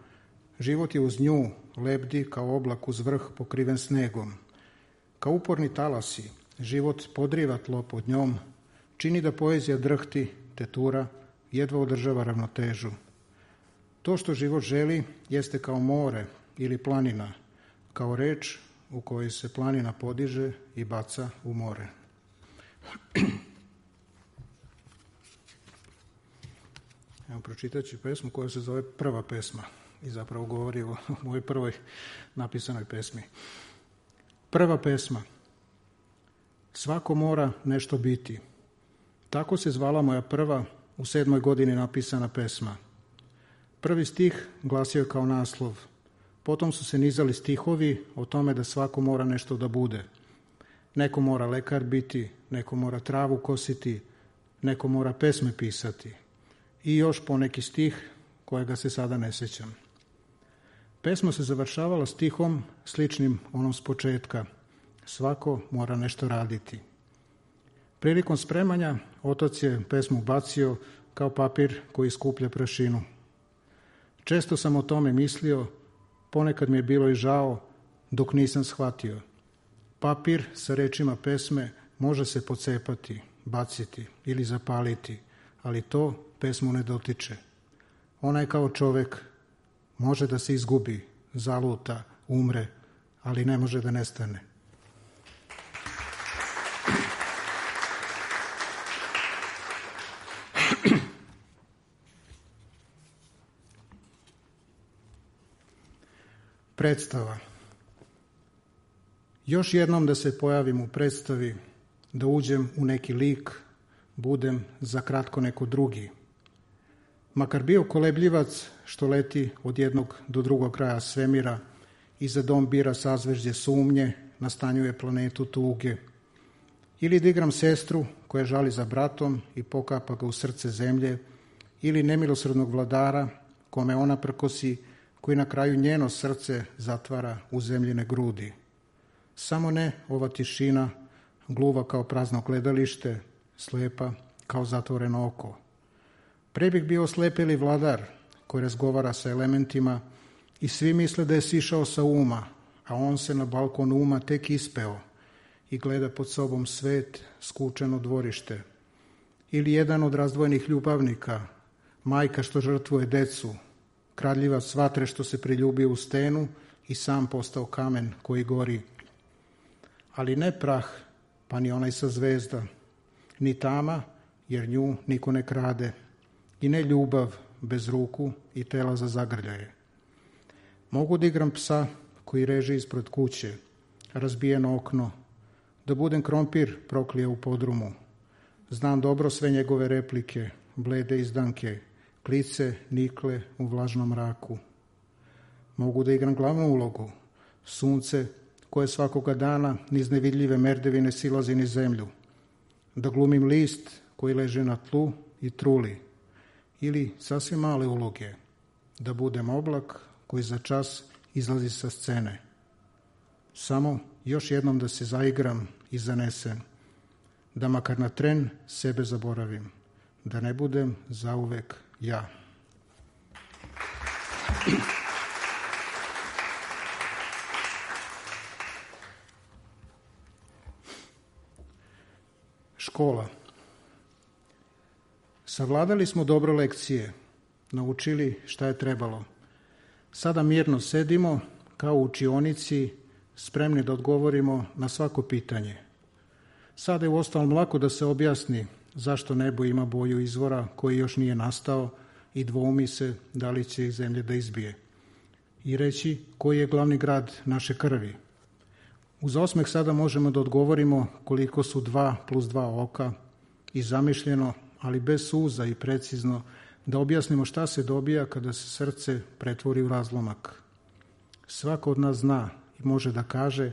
S4: život je uz nju, lebdi kao oblak uz vrh pokriven snegom. Kao uporni talasi, život podriva tlo pod njom, čini da poezija drhti, tetura, jedva održava ravnotežu. To što život želi jeste kao more ili planina, kao reč u kojoj se planina podiže i baca u more. Evo, pročitat ću pesmu koja se zove Prva pesma i zapravo govori o mojoj prvoj napisanoj pesmi. Prva pesma. Svako mora nešto biti. Tako se zvala moja prva u sedmoj godini napisana pesma. Prvi stih glasio je kao naslov. Potom su se nizali stihovi o tome da svako mora nešto da bude. Neko mora lekar biti, neko mora travu kositi, neko mora pesme pisati. I još poneki stih kojega se sada ne sećam. Pesma se završavala stihom sličnim onom s početka. Svako mora nešto raditi. Prilikom spremanja otac je pesmu bacio kao papir koji skuplja prašinu. Često sam o tome mislio, ponekad mi je bilo i žao dok nisam shvatio. Papir sa rečima pesme može se pocepati, baciti ili zapaliti, ali to pesmu ne dotiče. Ona je kao čovek, može da se izgubi, zaluta, umre, ali ne može da nestane. Predstava. Još jednom da se pojavim u predstavi, da uđem u neki lik, budem za kratko neko drugi. Makar bio kolebljivac što leti od jednog do drugog kraja svemira i za dom bira sazvežđe sumnje, nastanjuje planetu tuge. Ili da igram sestru koja žali za bratom i pokapa ga u srce zemlje, ili nemilosrdnog vladara kome ona prkosi, koji na kraju njeno srce zatvara u zemljine grudi. Samo ne ova tišina, gluva kao prazno gledalište, slepa kao zatvoreno oko. Pre bih bio slepeli vladar koji razgovara sa elementima i svi misle da je sišao sa uma, a on se na balkon uma tek ispeo i gleda pod sobom svet, skučeno dvorište. Ili jedan od razdvojenih ljubavnika, majka što žrtvuje decu, kradljivac vatre što se priljubio u stenu i sam postao kamen koji gori. Ali ne prah, pa ni onaj sa zvezda, ni tama, jer nju niko ne krade, i ne ljubav bez ruku i tela za zagrljaje. Mogu da igram psa koji reže ispred kuće, razbijeno okno, da budem krompir proklija u podrumu. Znam dobro sve njegove replike, blede izdanke, klice, nikle u vlažnom mraku. Mogu da igram glavnu ulogu, sunce koje svakoga dana niz nevidljive merdevine silazi niz zemlju, da glumim list koji leže na tlu i truli, ili sasvim male uloge, da budem oblak koji za čas izlazi sa scene. Samo još jednom da se zaigram i zanesem, da makar na tren sebe zaboravim, da ne budem zauvek ja. Škola. Savladali smo dobro lekcije, naučili šta je trebalo. Sada mirno sedimo kao u učionici, spremni da odgovorimo na svako pitanje. Sada je uostalom lako da se objasni zašto nebo ima boju izvora koji još nije nastao i dvoumi se da li će iz zemlje da izbije. I reći koji je glavni grad naše krvi. Uz osmeh sada možemo da odgovorimo koliko su dva plus dva oka i zamišljeno, ali bez suza i precizno, da objasnimo šta se dobija kada se srce pretvori u razlomak. Svako od nas zna i može da kaže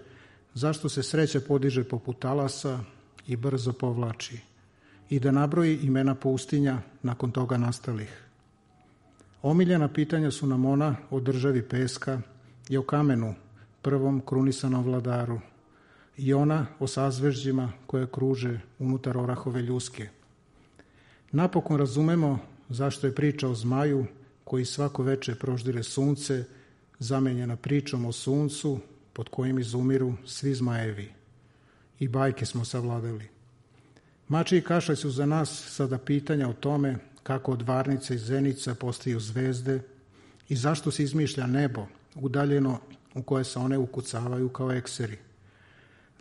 S4: zašto se sreća podiže poput talasa i brzo povlači i da nabroji imena pustinja nakon toga nastalih. Omiljena pitanja su nam ona o državi peska i o kamenu, prvom krunisanom vladaru, i ona o sazvežđima koje kruže unutar orahove ljuske. Napokon razumemo zašto je priča o zmaju koji svako veče proždire sunce zamenjena pričom o suncu pod kojim izumiru svi zmajevi. I bajke smo savladali. Mači i kašalj su za nas sada pitanja o tome kako od varnica i zenica postaju zvezde i zašto se izmišlja nebo udaljeno u koje se one ukucavaju kao ekseri.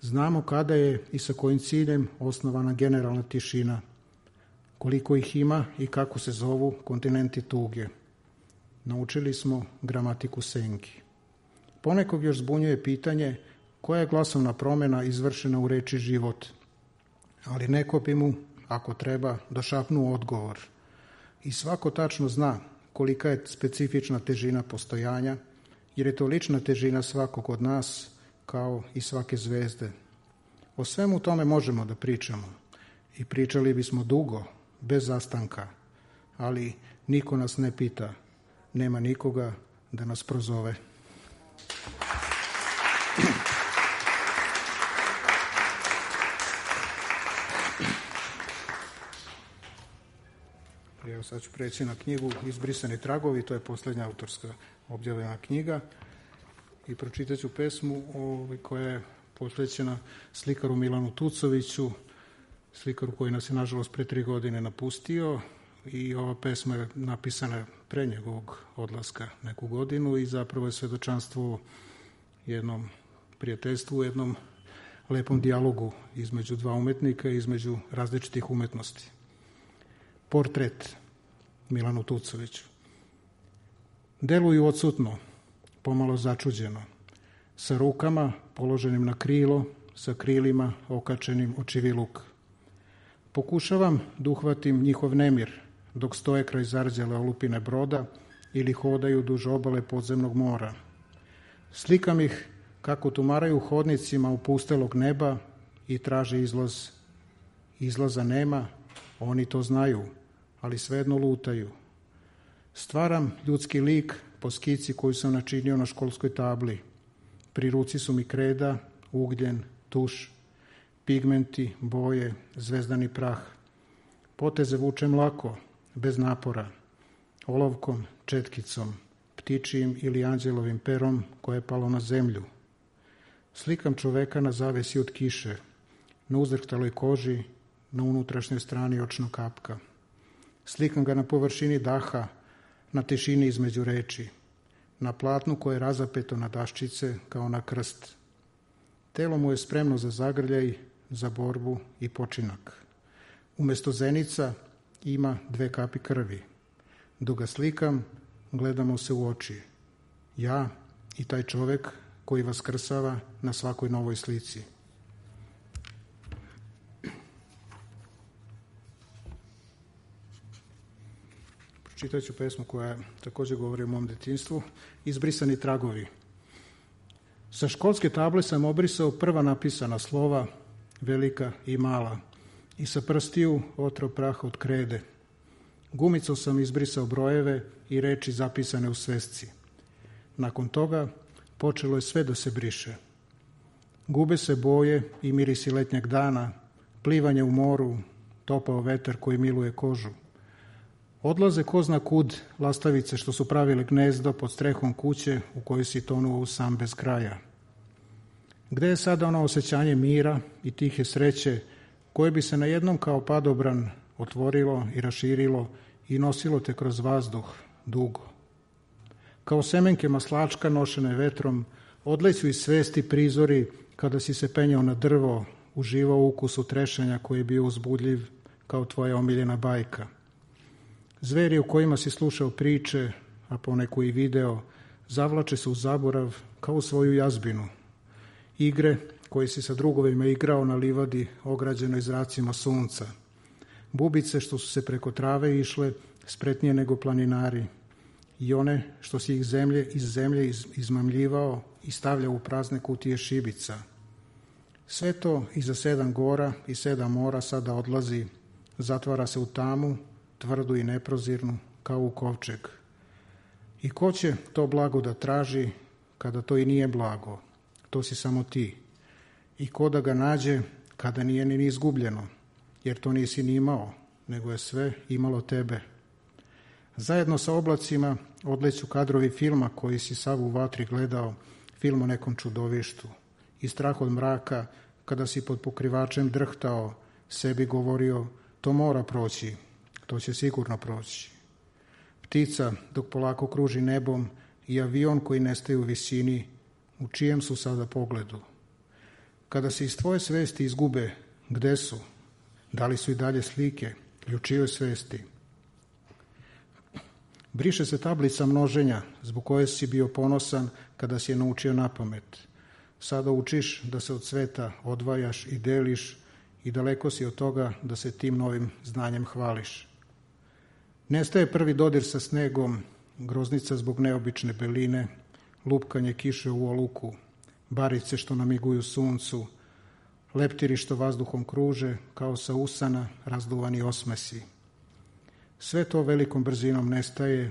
S4: Znamo kada je i sa kojim ciljem osnovana generalna tišina, koliko ih ima i kako se zovu kontinenti tuge. Naučili smo gramatiku senki. Ponekog još zbunjuje pitanje koja je glasovna promjena izvršena u reči život, ali neko bi mu, ako treba, došapnuo odgovor. I svako tačno zna kolika je specifična težina postojanja, jer je to lična težina svakog od nas, kao i svake zvezde. O svemu tome možemo da pričamo i pričali bismo dugo, bez zastanka, ali niko nas ne pita, nema nikoga da nas prozove. Evo sad ću preći na knjigu Izbrisani tragovi, to je posljednja autorska objavljena knjiga i pročitat ću pesmu koja je posvećena slikaru Milanu Tucoviću, slikaru koji nas je nažalost pre tri godine napustio, i ova pesma je napisana pre njegovog odlaska neku godinu i zapravo je svedočanstvo jednom prijateljstvu, jednom lepom dijalogu između dva umetnika i između različitih umetnosti. Portret Milanu Tucoviću. Deluju odsutno, pomalo začuđeno, sa rukama položenim na krilo, sa krilima okačenim očiviluk. Pokušavam da uhvatim njihov nemir, dok stoje kraj zarđale olupine broda ili hodaju duž obale podzemnog mora. Slikam ih kako tumaraju hodnicima opustelog neba i traže izlaz. Izlaza nema, oni to znaju, ali svejedno lutaju. Stvaram ljudski lik po skici koju sam načinio na školskoj tabli. Pri ruci su mi kreda, ugljen, tuš, pigmenti, boje, zvezdani prah. Poteze vučem lako, bez napora, olovkom, četkicom, ptičijim ili anđelovim perom koje je palo na zemlju. Slikam čoveka na zavesi od kiše, na uzdrhtaloj koži, na unutrašnjoj strani očnog kapka. Slikam ga na površini daha, na tišini između reči, na platnu koje je razapeto na daščice kao na krst. Telo mu je spremno za zagrljaj, za borbu i počinak. Umesto zenica ima dve kapi krvi. Dok ga slikam, gledamo se u oči. Ja i taj čovek koji vaskrsava na svakoj novoj slici. Pročitat ću pesmu koja također govori o mom detinjstvu. Izbrisani tragovi. Sa školske table sam obrisao prva napisana slova, velika i mala, i sa prstiju otrao prah od krede. Gumicom sam izbrisao brojeve i reči zapisane u svesci. Nakon toga počelo je sve da se briše. Gube se boje i mirisi letnjeg dana, plivanje u moru, topao vetar koji miluje kožu. Odlaze ko zna kud lastavice što su pravile gnezdo pod strehom kuće u kojoj si tonuo u sam bez kraja. Gde je sada ono osjećanje mira i tihe sreće koje bi se na jednom kao padobran otvorilo i raširilo i nosilo te kroz vazduh dugo? Kao semenke maslačka nošene vetrom, odleću iz svesti prizori kada si se penjao na drvo, uživao ukusu trešanja koji je bio uzbudljiv kao tvoja omiljena bajka. Zveri u kojima si slušao priče, a poneku i video, zavlače se u zaborav kao u svoju jazbinu. Igre koje si sa drugovima igrao na livadi ograđenoj zracima sunca. Bubice što su se preko trave išle spretnije nego planinari. I one što si ih zemlje iz zemlje iz, izmamljivao i stavljao u prazne kutije šibica. Sve to iza sedam gora i sedam mora sada odlazi, zatvara se u tamu, tvrdu i neprozirnu, kao u kovčeg. I ko će to blago da traži, kada to i nije blago? To si samo ti. I ko da ga nađe, kada nije ni izgubljeno, jer to nisi ni imao, nego je sve imalo tebe. Zajedno sa oblacima odleću kadrovi filma koji si sav u vatri gledao, film o nekom čudovištu. I strah od mraka, kada si pod pokrivačem drhtao, sebi govorio, to mora proći, to će sigurno proći. Ptica dok polako kruži nebom i avion koji nestaje u visini, u čijem su sada pogledu. Kada se iz tvoje svesti izgube, gde su? Da li su i dalje slike ili u čijoj svesti? Briše se tablica množenja, zbog koje si bio ponosan kada si je naučio napamet. Sada učiš da se od sveta odvajaš i deliš i daleko si od toga da se tim novim znanjem hvališ. Nestaje prvi dodir sa snegom, groznica zbog neobične beline, lupkanje kiše u oluku, barice što namiguju suncu, leptiri što vazduhom kruže, kao sa usana razduvani osmesi. Sve to velikom brzinom nestaje,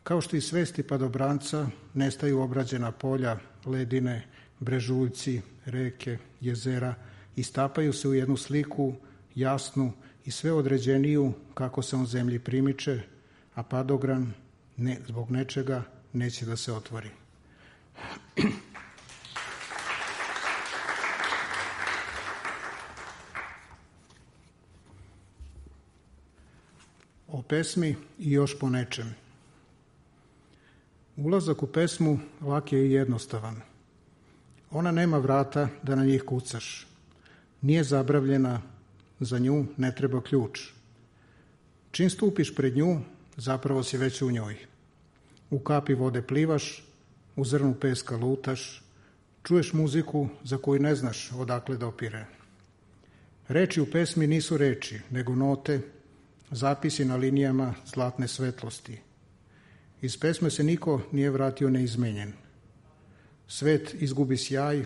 S4: kao što i svesti padobranca nestaju obrađena polja, ledine, brežuljci, reke, jezera i stapaju se u jednu sliku, jasnu i sve određeniju kako se on zemlji primiče, a padogran ne, zbog nečega neće da se otvori. O pesmi i još po nečem. Ulazak u pesmu lak je i jednostavan. Ona nema vrata da na njih kucaš. Nije zabravljena, za nju ne treba ključ. Čim stupiš pred nju, zapravo si već u njoj. U kapi vode plivaš, u zrnu peska lutaš, čuješ muziku za koju ne znaš odakle da opire. Reči u pesmi nisu reči, nego note, zapisi na linijama zlatne svetlosti. Iz pesme se niko nije vratio neizmenjen. Svet izgubi sjaj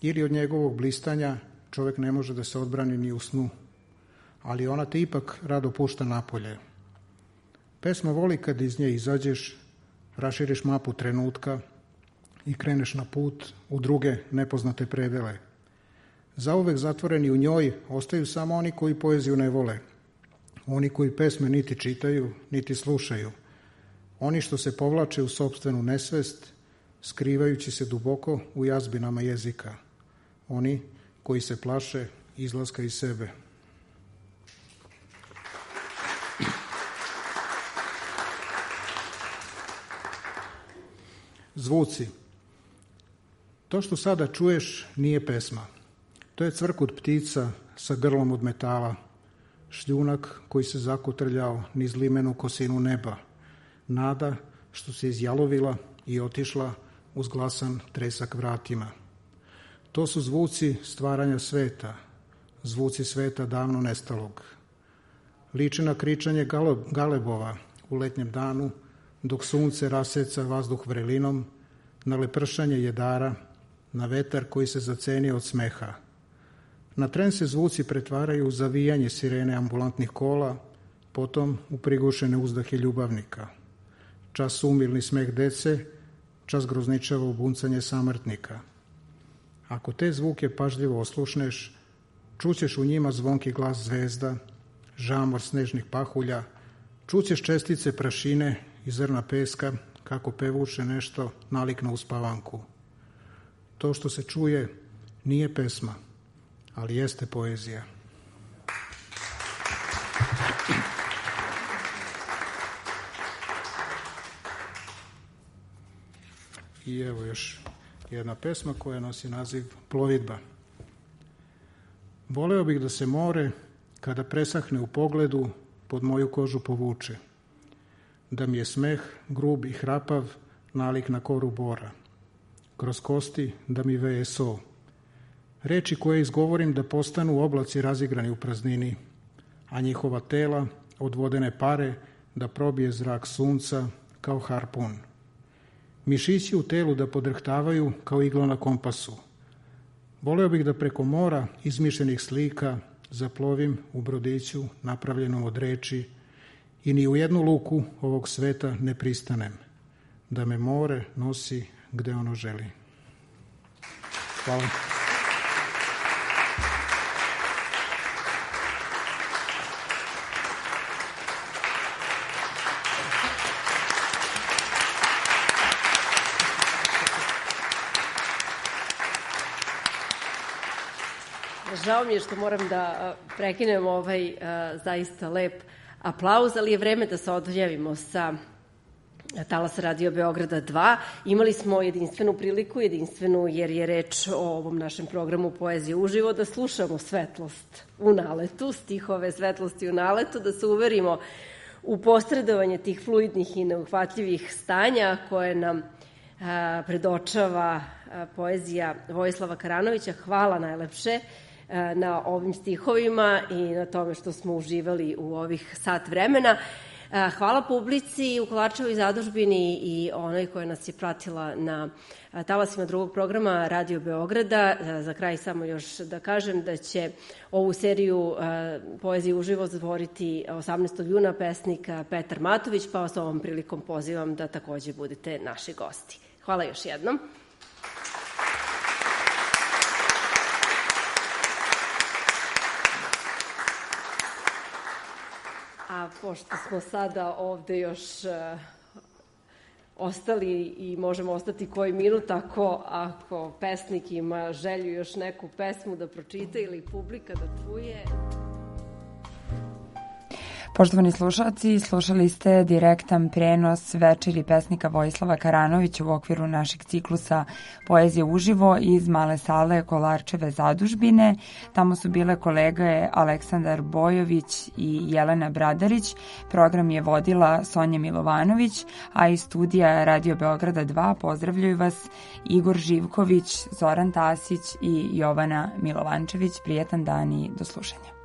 S4: ili od njegovog blistanja čovjek ne može da se odbrani ni u snu, ali ona te ipak rado pušta napolje. Pesma voli kad iz nje izađeš, raširiš mapu trenutka i kreneš na put u druge nepoznate predele. Zauvek zatvoreni u njoj ostaju samo oni koji poeziju ne vole, oni koji pesme niti čitaju, niti slušaju, oni što se povlače u sopstvenu nesvest, skrivajući se duboko u jazbinama jezika, oni koji se plaše izlaska iz sebe. Zvuci. To što sada čuješ nije pesma. To je cvrkut ptica sa grlom od metala, šljunak koji se zakotrljao niz limenu kosinu neba, nada što se izjalovila i otišla uz glasan tresak vratima. To su zvuci stvaranja sveta, zvuci sveta davno nestalog. Liči na kričanje galebova u letnjem danu, dok sunce raseca vazduh vrelinom, na lepršanje jedara, na vetar koji se zacenio od smeha. Na tren se zvuci pretvaraju u zavijanje sirene ambulantnih kola, potom u prigušene uzdahe ljubavnika. Čas umilni smeh dece, čas grozničavo buncanje samrtnika. Ako te zvuke pažljivo oslušneš, čućeš u njima zvonki glas zvezda, žamor snežnih pahulja, čućeš čestice prašine i zrna peska, kako pevuče nešto nalik na uspavanku. To što se čuje nije pesma, ali jeste poezija. I evo još jedna pesma koja nosi naziv Plovidba. Voleo bih da se more, kada presahne u pogledu, pod moju kožu povuče. Da mi je smeh, grub i hrapav, nalik na koru bora. Kroz kosti da mi veje so. Reči koje izgovorim da postanu oblaci razigrani u praznini, a njihova tela od vodene pare da probije zrak sunca kao harpun. Mišići u telu da podrhtavaju kao igla na kompasu. Voleo bih da preko mora izmišljenih slika zaplovim u brodiću napravljenom od reči i ni u jednu luku ovog sveta ne pristanem, da me more nosi gde ono želi. Hvala.
S3: Žao mi je što moram da prekinem ovaj zaista lep aplauz, ali je vreme da se odjavimo sa talasa Radio Beograda dva. Imali smo jedinstvenu priliku, jedinstvenu jer je reč o ovom našem programu Poezije uživo, da slušamo svetlost u naletu, stihove svetlosti u naletu, da se uverimo u posredovanje tih fluidnih i neuhvatljivih stanja koje nam a, predočava a, poezija Vojislava Karanovića. Hvala najlepše na ovim stihovima i na tome što smo uživali u ovih sat vremena. Hvala publici u Kolarčevoj zadužbini i onoj koja nas je pratila na talasima drugog programa Radio Beograda. Za kraj samo još da kažem da će ovu seriju Poezije uživo zatvoriti osamnaestog juna pesnik Petar Matović, pa vas ovom prilikom pozivam da takođe budete naši gosti. Hvala još jednom. A pošto smo sada ovde još uh, ostali i možemo ostati koji minut, ako, ako pesnik ima želju još neku pesmu da pročita ili publika da čuje.
S2: Poštovani slušalci, slušali ste direktan prenos večeri pesnika Vojislava Karanovića u okviru našeg ciklusa Poezije uživo iz male sale Kolarčeve zadužbine. Tamo su bile kolege Aleksandar Bojović i Jelena Bradarić. Program je vodila Sonja Milovanović, a iz studija Radio Beograda dva pozdravljaju vas Igor Živković, Zoran Tasić i Jovana Milovančević. Prijetan dan i do slušanja.